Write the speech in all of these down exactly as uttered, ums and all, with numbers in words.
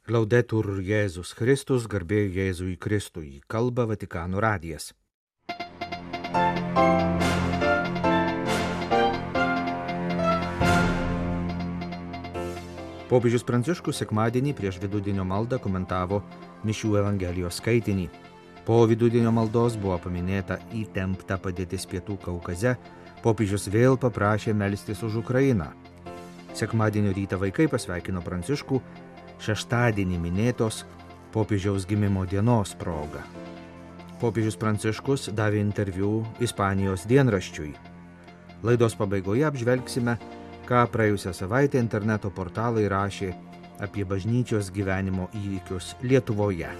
Laudetur Jėzus Kristus, garbė Jėzui Kristui, kalba Vatikano radijas. Popiežius Pranciškus sekmadienį prieš vidudienio maldą komentavo mišių Evangelijos skaitinį. Po vidudienio maldos buvo paminėta įtempta padėtis Pietų Kaukaze, popiežius vėl paprašė melstis už Ukrainą. Sekmadienio rytą vaikai pasveikino Pranciškų šeštadienį minėtos popiežiaus gimimo dienos proga. Popiežius Pranciškus davė interviu Ispanijos dienraščiui. Laidos pabaigoje apžvelgsime, ką praėjusią savaitę interneto portalai rašė apie bažnyčios gyvenimo įvykius Lietuvoje.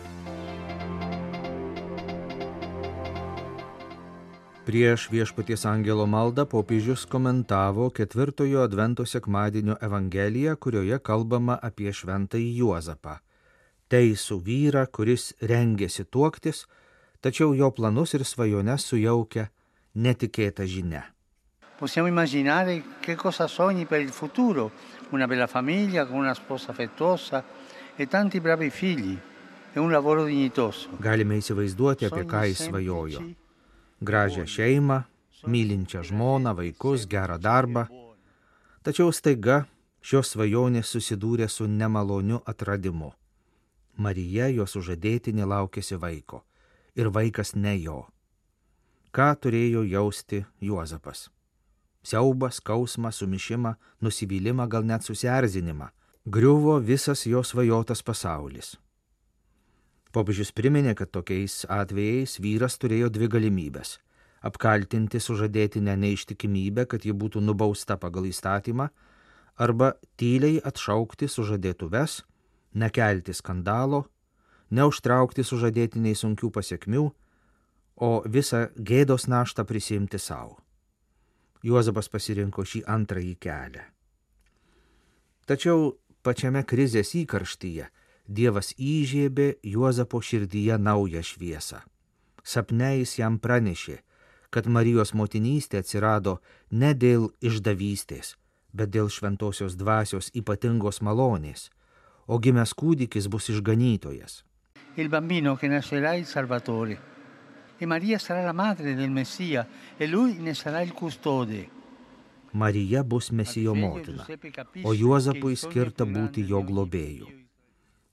Prieš Viešpaties angelo maldą popiežius komentavo ketvirtojo advento sekmadienio Evangeliją, kurioje kalbama apie šventąjį Juozapą. Teisų vyrą, kuris rengėsi tuoktis, tačiau jo planus ir svajones sujaukia netikėta žinia. Possiamo immaginare che cosa sogni per il futuro, una bella famiglia con una sposa affettuosa e tanti bravi figli e un lavoro dignitoso. Galime įsivaizduoti, apie ką jis svajojo. Gražią šeimą, mylinčią žmoną, vaikus, gerą darbą. Tačiau staiga šios svajonės susidūrė su nemaloniu atradimu. Marija, jo sužadėtinė, laukėsi vaiko. Ir vaikas ne jo. Ką turėjo jausti Juozapas? Siaubą, skausmą, sumišimą, nusivylimą, gal net susierzinimą. Griuvo visas jo svajotas pasaulis. Popiežius priminė, kad tokiais atvejais vyras turėjo dvi galimybės – apkaltinti sužadėtinę neištikimybę, kad ji būtų nubausta pagal įstatymą, arba tyliai atšaukti sužadėtuves, nekelti skandalo, neužtraukti sužadėtiniai sunkių pasiekmių, o visą gėdos naštą prisiimti savo. Juozapas pasirinko šį antrąjį kelią. Tačiau pačiame krizės įkarštyje Dievas įžiebė Juozapo širdyje naują šviesą. Sapne jis jam pranešė, kad Marijos motinystė atsirado ne dėl išdavystės, bet dėl šventosios dvasios ypatingos malonės, o gimęs kūdikis bus išganytojas. Il bambino che nascerà il Salvatore, e Maria sarà la madre del Messia, e lui ne sarà il custode. Marija bus Mesijo motina, o Juozapui skirta būti jo globėju.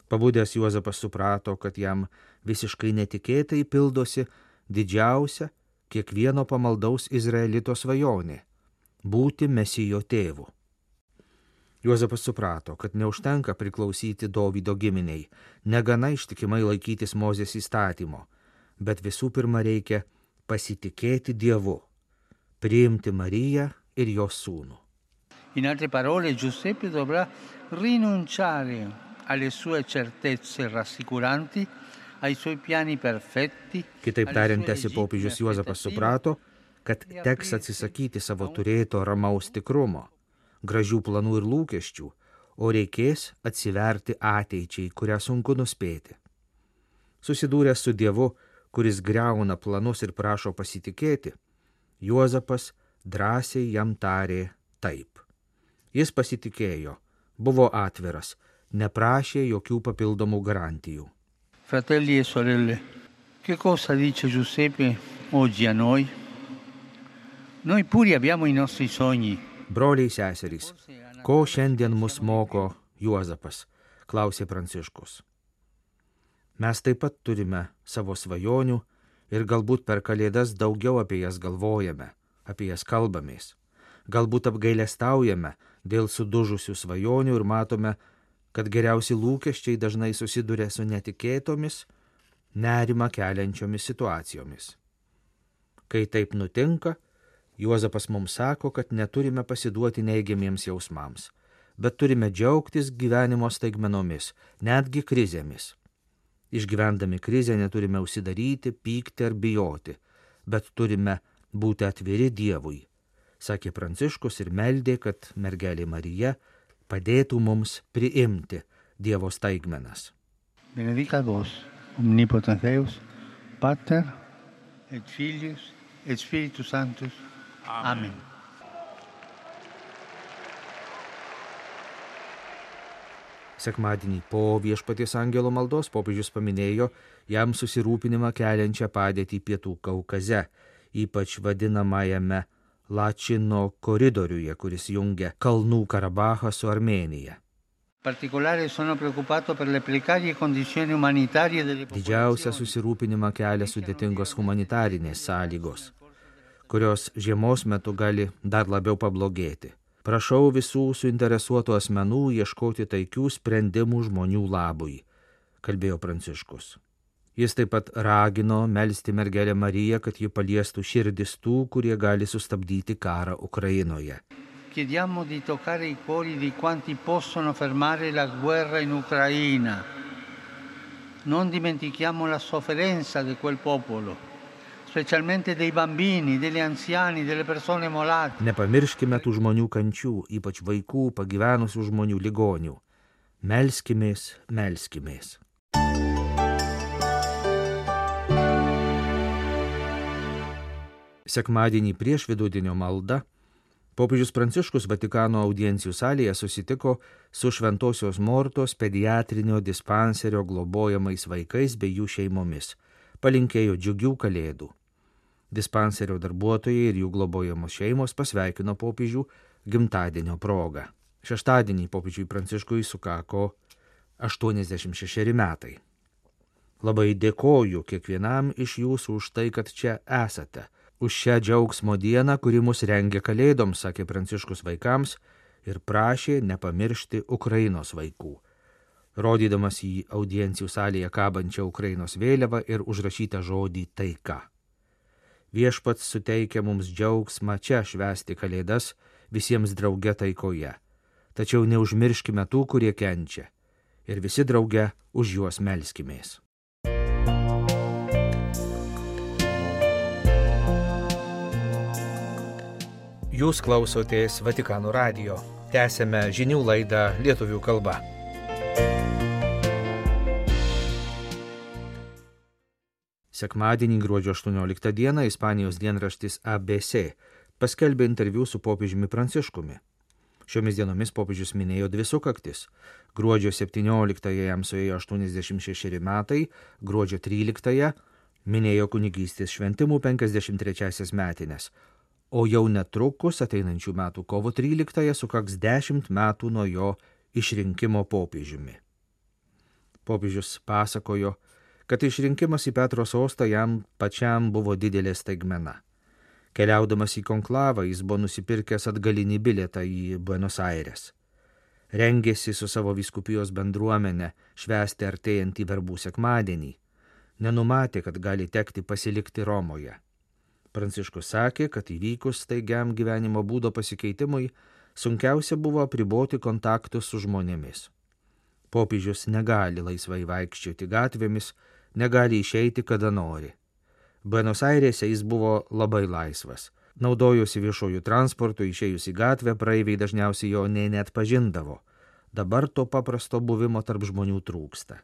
Pabudęs Juozapas suprato, kad jam visiškai netikėtai pildosi didžiausia kiekvieno pamaldaus izraelito svajonė – būti Mesijo tėvu. Juozapas suprato, kad neužtenka priklausyti Dovydo giminiai, negana ištikimai laikytis Mozės įstatymo, bet visų pirma reikia pasitikėti Dievu, priimti Mariją ir jos sūnų. In altre parole, Giuseppe dovrà rinunciare alle sue certezze rassicuranti, ai suoi piani perfetti. Kitaip tariant, tęsė popiežius Juozapas suprato, kad teks atsisakyti savo turėto ramaus tikrumo, gražių planų ir lūkesčių, o reikės atsiverti ateičiai, kurią sunku nuspėti. Susidūręs su Dievu, kuris griauna planus ir prašo pasitikėti, Juozapas drąsiai jam tarė taip. Jis pasitikėjo, buvo atviras, neprašė jokių papildomų garantijų. Fratelli e sorelle, che cosa dice Giuseppe oggi a noi? Noi pure abbiamo i nostri sogni. Broliai seserys, ko šiandien mus moko Juozapas, klausė Pranciškus. Mes taip pat turime savo svajonių ir galbūt per Kalėdas daugiau apie jas galvojame, apie jas kalbamės. Galbūt apgailestaujame dėl sudužusių svajonių ir matome, kad geriausi lūkesčiai dažnai susiduria su netikėtomis, nerimą keliančiomis situacijomis. Kai taip nutinka, Juozapas mums sako, kad neturime pasiduoti neigiamiems jausmams, bet turime džiaugtis gyvenimo staigmenomis, netgi krizėmis. Išgyvendami krizę neturime užsidaryti, pykti ar bijoti, bet turime būti atviri Dievui, sakė Pranciškus ir meldė, kad mergelė Marija padėtų mums priimti Dievo staigmenas. Benedicat vos, omnipotens Deus, Pater et Filius et Spiritus Sanctus. Amen. Sekmadienį po Viešpaties angelo maldos popiežius paminėjo jam susirūpinimą keliančią padėtį Pietų Kaukaze, ypač vadinamajame Lačino koridoriuje, kuris jungia Kalnų Karabachą su Armėnija. Didžiausia susirūpinimą kelia sudėtingos humanitarinės sąlygos, kurios žiemos metu gali dar labiau pablogėti. Prašau visų suinteresuotų asmenų ieškoti taikių sprendimų žmonių labui, kalbėjo Pranciškus. Jis taip pat ragino melsti mergelę Mariją, kad ji paliestų širdis tų, kurie gali sustabdyti karą Ukrainoje. Chiediamo di toccare i cuori di quanti possono fermare la guerra in Ucraina. Non dimentichiamo la sofferenza di quel popolo, specialmente dei bambini, degli anziani, delle persone malate. Nepamirškime tų žmonių kančių, ypač vaikų, pagyvenusių žmonių ligonių. Melskimės, melskimės. Sekmadienį prieš vidudienio maldą popiežius Pranciškus Vatikano audiencijų salėje susitiko su Šventosios Mortos pediatrinio dispanserio globojamais vaikais bei jų šeimomis. Palinkėjo džiugių kalėdų. Dispanserio darbuotojai ir jų globojamos šeimos pasveikino popiežių gimtadienio progą. Šeštadienį popiežiui Pranciškui sukako aštuoniasdešimt šešeri metai. Labai dėkoju kiekvienam iš jūsų už tai, kad čia esate. Už šią džiaugsmo dieną, kuri mus rengia kalėdoms, sakė Pranciškus vaikams ir prašė nepamiršti Ukrainos vaikų, rodydamas į audiencijų salėje kabančią Ukrainos vėliavą ir užrašytą žodį taika. Viešpats suteikia mums džiaugsmą čia švęsti kalėdas visiems drauge taikoje, tačiau neužmirškime tų, kurie kenčia, ir visi drauge už juos melskimės. Jūs klausotės Vatikano radijo. Tęsėme žinių laidą lietuvių kalba. Sekmadienį gruodžio aštuonioliktą dieną Ispanijos dienraštis A B C paskelbė interviu su popiežiumi Pranciškumi. Šiomis dienomis popiežius minėjo dvi sukaktis. Gruodžio septynioliktąją jam suėjo aštuoniasdešimt šešeri metai, gruodžio tryliktąją minėjo kunigystės šventimų penkiasdešimt trečiąsias metines. O jau netrukus ateinančių metų kovo tryliktąją sukaks dešimt metų nuo jo išrinkimo popiežiumi. Popiežius pasakojo, kad išrinkimas į Petro sostą jam pačiam buvo didelė staigmena. Keliaudamas į konklavą jis buvo nusipirkęs atgalinį bilietą į Buenos Aires. Rengėsi su savo vyskupijos bendruomenė švęsti artėjantį verbų sekmadienį. Nenumatė, kad gali tekti pasilikti Romoje. Pranciškus sakė, kad įvykus staigiam gyvenimo būdo pasikeitimui sunkiausia buvo apriboti kontaktus su žmonėmis. Popiežius negali laisvai vaikščioti gatvėmis, negali išeiti kada nori. Buenos Airėse jis buvo labai laisvas. Naudojosi viešojų transportų, išėjus į gatvę, praeiviai dažniausiai jo nė net pažindavo. Dabar to paprasto buvimo tarp žmonių trūksta.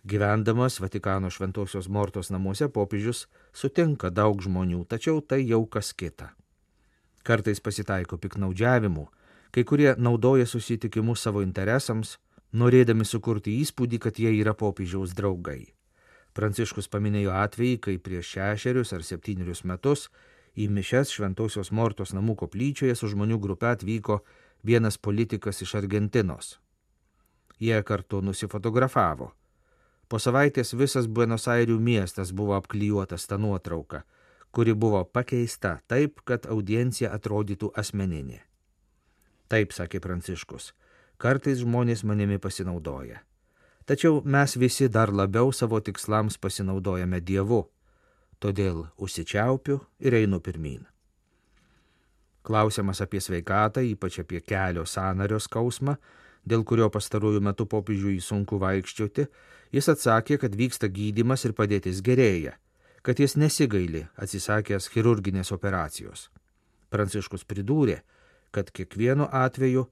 Gyvendamas Vatikano Šventosios Mortos namuose popiežius sutinka daug žmonių, tačiau tai jau kas kita. Kartais pasitaiko piknaudžiavimų, kai kurie naudoja susitikimus savo interesams, norėdami sukurti įspūdį, kad jie yra popiežiaus draugai. Pranciškus paminėjo atvejį, kai prieš šešerius ar septynerius metus į mišias Šventosios Mortos namų koplyčioje su žmonių grupe atvyko vienas politikas iš Argentinos. Jie kartu nusifotografavo. Po savaitės visas Buenos Airių miestas buvo apklijuotas tą nuotrauką, kuri buvo pakeista taip, kad audiencija atrodytų asmeninė. Taip, sakė Pranciškus, kartais žmonės manimi pasinaudoja. Tačiau mes visi dar labiau savo tikslams pasinaudojame Dievu, todėl užsičiaupiu ir einu pirmyn. Klausiamas apie sveikatą, ypač apie kelio sąnario skausmą, dėl kurio pastaruoju metu popiežiui sunku vaikščioti, jis atsakė, kad vyksta gydymas ir padėtis gerėja, kad jis nesigaili atsisakęs chirurginės operacijos. Pranciškus pridūrė, kad kiekvienu atveju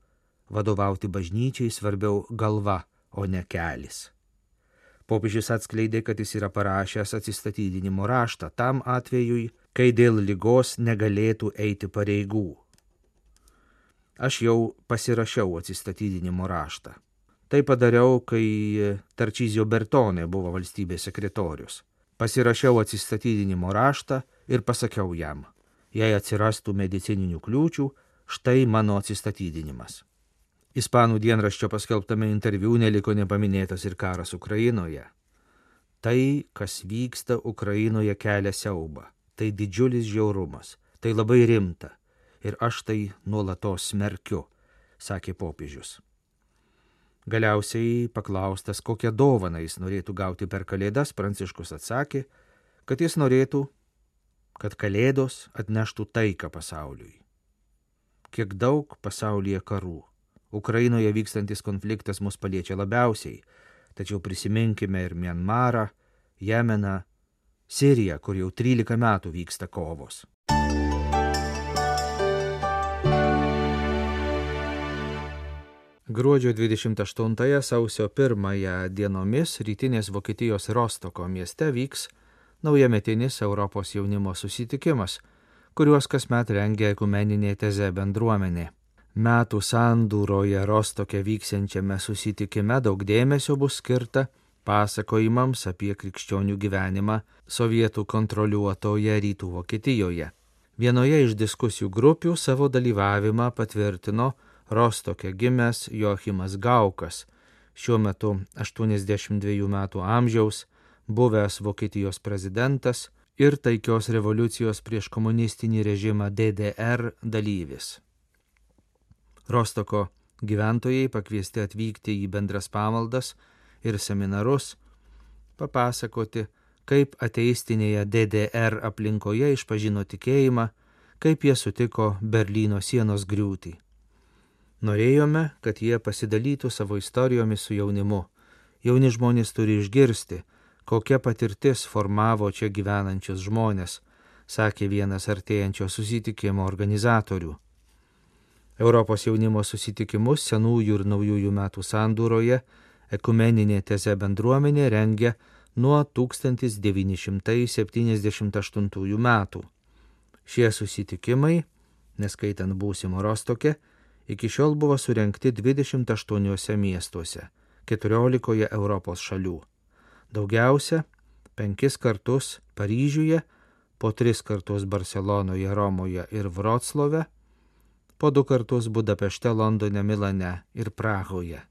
vadovauti bažnyčiai svarbiau galva, o ne kelis. Popiežius atskleidė, kad jis yra parašęs atsistatydinimo raštą tam atvejui, kai dėl ligos negalėtų eiti pareigų. Aš jau pasirašiau atsistatydinimo raštą. Tai padariau, kai Tarčizio Bertone buvo valstybės sekretorius. Pasirašiau atsistatydinimo raštą ir pasakiau jam, jei atsirastų medicininių kliūčių, štai mano atsistatydinimas. Ispanų dienraščio paskelbtame interviu neliko nepaminėtas ir karas Ukrainoje. Tai, kas vyksta Ukrainoje, kelia siaubą. Tai didžiulis žiaurumas, tai labai rimta ir aš tai nuolatos smerkiu, sakė popiežius. Galiausiai paklaustas, kokią dovaną jis norėtų gauti per Kalėdas, Pranciškus atsakė, kad jis norėtų, kad Kalėdos atneštų taiką pasauliui. Kiek daug pasaulyje karų. Ukrainoje vykstantis konfliktas mus paliečia labiausiai, tačiau prisiminkime ir Mianmarą, Jemeną, Siriją, kur jau trylika metų vyksta kovos. Gruodžio dvidešimt aštuntąją sausio pirmąją dienomis rytinės Vokietijos Rostoko mieste vyks naujametinis Europos jaunimo susitikimas, kuriuos kasmet rengia ekumeninė teze bendruomenė. Metų sandūroje Rostoke vyksiančiame susitikime daug dėmesio bus skirta pasakojimams apie krikščionių gyvenimą sovietų kontroliuotoje rytų Vokietijoje. Vienoje iš diskusijų grupių savo dalyvavimą patvirtino Rostoke gimęs Joachimas Gaukas, šiuo metu aštuoniasdešimt dviejų metų amžiaus, buvęs Vokietijos prezidentas ir taikios revoliucijos prieš komunistinį režimą D D R dalyvis. Rostoko gyventojai pakviesti atvykti į bendras pamaldas ir seminarus, papasakoti, kaip ateistinėje D D R aplinkoje išpažino tikėjimą, kaip jie sutiko Berlyno sienos griūtį. Norėjome, kad jie pasidalytų savo istorijomis su jaunimu. Jauni žmonės turi išgirsti, kokia patirtis formavo čia gyvenančius žmonės, sakė vienas artėjančio susitikimo organizatorių. Europos jaunimo susitikimus senųjų ir naujųjų metų sandūroje ekumeninė teze bendruomenė rengia nuo tūkstantis devyni šimtai septyniasdešimt aštuntųjų metų. Šie susitikimai, neskaitant būsimo Rostoke, iki šiol buvo surengti dvidešimt aštuoniuose miestuose, keturiolikoje Europos šalių. Daugiausia penkis kartus Paryžiuje, po tris kartus Barcelonoje, Romoje ir Vroclave, po du kartus Budapešte, Londone, Milane ir Prahoje.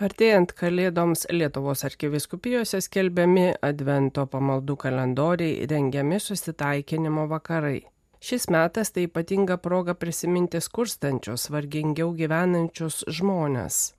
Artėjant Kalėdoms Lietuvos arkivyskupijose skelbiami advento pamaldų kalendoriai, rengiami susitaikinimo vakarai. Šis metas tai ypatinga proga prisiminti skurstančius, vargingiau gyvenančius žmones.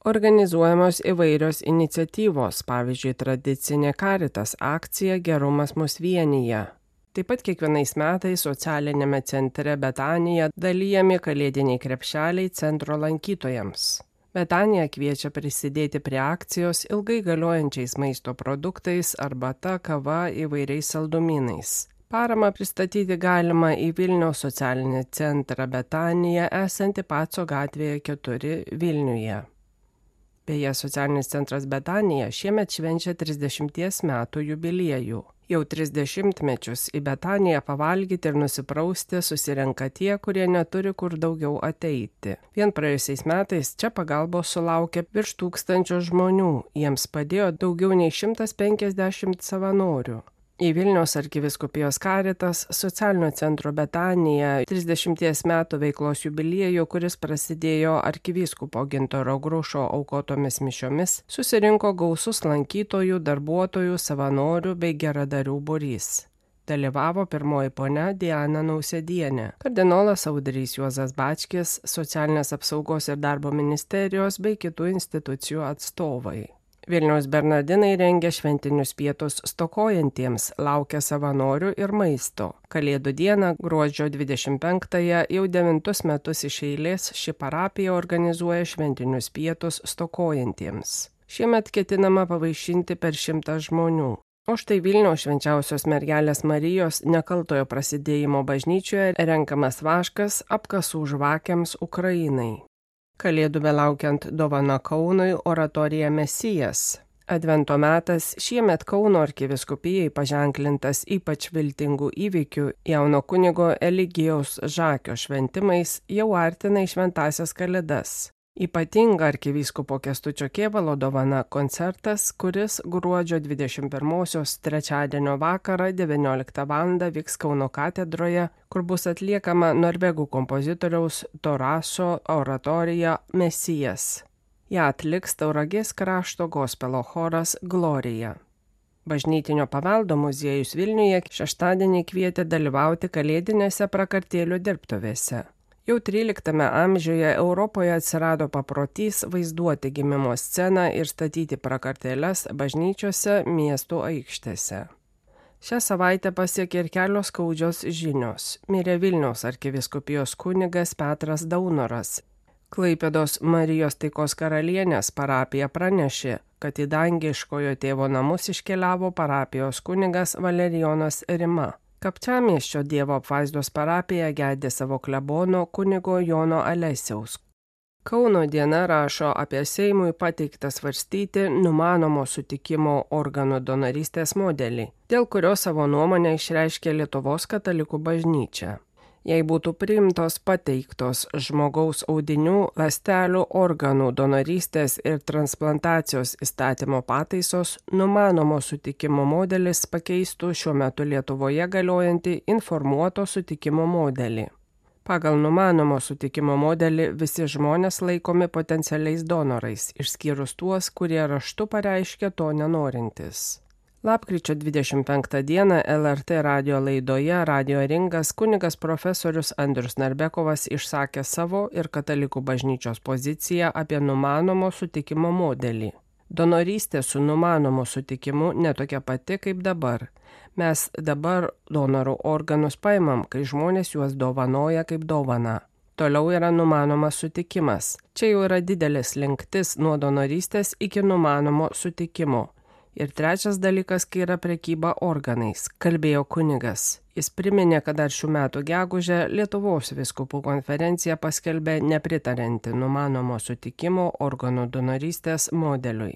Organizuojamos įvairios iniciatyvos, pavyzdžiui, tradicinė Caritas akcija Gerumas mus vienija. Taip pat kiekvienais metais socialinėme centre Betanija dalijami kalėdiniai krepšeliai centro lankytojams. Betanija kviečia prisidėti prie akcijos ilgai galiojančiais maisto produktais, arbata, kava, įvairiais saldumynais. Paramą pristatyti galima į Vilniaus socialinį centrą Betanija, esantį Paco gatvėje keturi Vilniuje. Beje, socialinis centras Betanija šiemet švenčia trisdešimties metų jubiliejų. Jau trisdešimtmečius į Betaniją pavalgyti ir nusiprausti susirenka tie, kurie neturi kur daugiau ateiti. Vien praėjusiais metais čia pagalbos sulaukė virš tūkstančio žmonių, jiems padėjo daugiau nei šimtas penkiasdešimt savanorių. Į Vilniaus arkivyskupijos Caritas socialinio centro Betanija trisdešimties metų veiklos jubiliejų, kuris prasidėjo arkivyskupo Gintaro Grušo aukotomis mišiomis, susirinko gausus lankytojų, darbuotojų, savanorių bei geradarių būrys. Dalyvavo pirmoji ponia Diana Nausėdienė, kardinolas Audrys Juozas Bačkis, socialinės apsaugos ir darbo ministerijos bei kitų institucijų atstovai. Vilniaus bernardinai rengia šventinius pietus stokojantiems, laukia savanorių ir maisto. Kalėdų dieną, gruodžio dvidešimt penktąją, jau devintus metus iš eilės ši parapija organizuoja šventinius pietus stokojantiems. Šiemet ketinama pavaišinti per šimtą žmonių. O štai Vilniaus švenčiausios mergelės Marijos nekaltojo prasidėjimo bažnyčioje renkamas vaškas apkasų žvakėms Ukrainai. Kalėdų belaukiant dovana Kaunui oratorija Mesijas. Advento metas šiemet Kauno arkivyskupijai paženklintas ypač viltingų įvykių jauno kunigo Eligijaus Žakio šventimais jau artina į šventąsias kalėdas. Ypatinga arkivyskupo Kęstučio Kėvalo dovana koncertas, kuris gruodžio dvidešimt pirmosios trečiadienio vakarą devynioliktą valandą vyks Kauno katedroje, kur bus atliekama norvegų kompozitoriaus Toraso oratorija Mesijas. Ja atliks Tauragės krašto gospelo choras Glorija. Bažnytinio paveldo muziejus Vilniuje šeštadienį kvietė dalyvauti kalėdinėse prakartėlių dirbtuvėse. Jau tryliktame amžiuje Europoje atsirado paprotys vaizduoti gimimo sceną ir statyti prakartėles bažnyčiose miestų aikštėse. Šią savaitę pasiekė ir kelios skaudžios žinios. Mirė Vilniaus arkivyskupijos kunigas Petras Daunoras. Klaipėdos Marijos Taikos karalienės parapija pranešė, kad į dangiškojo tėvo namus iškeliavo parapijos kunigas Valerijonas Rima. Kapčiamiesčio Dievo apvaizdos parapija gedė savo klebono kunigo Jono Alesiaus. Kauno diena rašo apie Seimui pateiktą svarstyti numanomo sutikimo organų donorystės modelį, dėl kurio savo nuomonę išreiškė Lietuvos katalikų bažnyčia. Jei būtų priimtos pateiktos žmogaus audinių, ląstelių, organų donorystės ir transplantacijos įstatymo pataisos, numanomo sutikimo modelis pakeistų šiuo metu Lietuvoje galiojantį informuoto sutikimo modelį. Pagal numanomo sutikimo modelį visi žmonės laikomi potencialiais donorais, išskyrus tuos, kurie raštu pareiškia to nenorintis. Lapkričio dvidešimt penktą dieną L R T radijo laidoje Radio Ringas kunigas profesorius Andrius Narbekovas išsakė savo ir katalikų bažnyčios poziciją apie numanomo sutikimo modelį. Donorystė su numanomu sutikimu netokia pati kaip dabar. Mes dabar donorų organus paimam, kai žmonės juos dovanoja kaip dovana. Toliau yra numanomas sutikimas. Čia jau yra didelis linktis nuo donorystės iki numanomo sutikimo. Ir trečias dalykas, kai yra prekyba organais, kalbėjo kunigas. Jis priminė, kad dar šių metų gegužę Lietuvos vyskupų konferencija paskelbė nepritarianti numanomo sutikimo organų donorystės modeliui.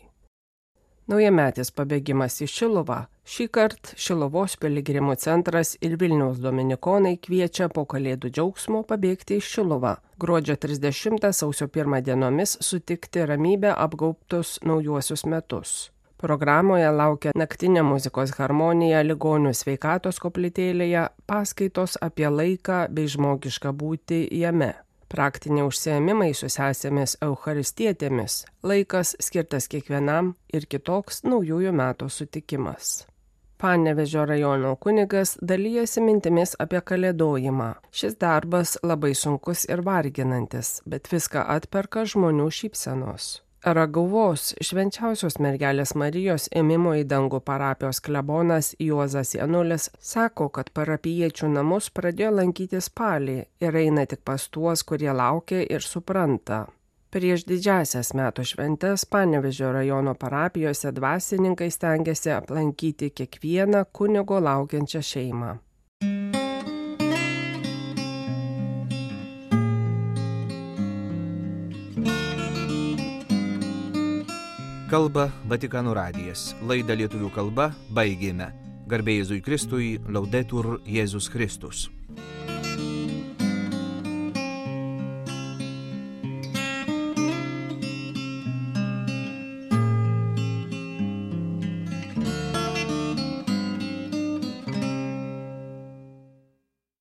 Naujametis pabėgimas į Šiluvą. Šįkart Šiluvos piligrimų centras ir Vilniaus dominikonai kviečia po kalėdų džiaugsmo pabėgti į Šiluvą. Gruodžio trisdešimtą sausio pirmą dienomis sutikti ramybę apgaubtus naujuosius metus. Programoje laukia naktinė muzikos harmonija ligonių sveikatos koplytėlėje, paskaitos apie laiką bei žmogišką būtį jame. Praktiniai užsiėmimai su sesėmis eucharistietėmis, laikas skirtas kiekvienam ir kitoks naujųjų metų sutikimas. Panevėžio rajono kunigas dalijasi mintimis apie kalėdojimą. Šis darbas labai sunkus ir varginantis, bet viską atperka žmonių šypsenos. Ragauvos švenčiausios mergelės Marijos ėmimo į dangų parapijos klebonas Juozas Janulis sako, kad parapijiečių namus pradėjo lankyti spalį ir eina tik pas tuos, kurie laukia ir supranta. Prieš didžiąsias metų šventes Panevėžio rajono parapijose dvasininkai stengiasi aplankyti kiekvieną kunigo laukiančią šeimą. Kalba Vatikano radijas. Laidą lietuvių kalba baigėme. Garbė Jėzui Kristui, Laudetur Jėzus Kristus.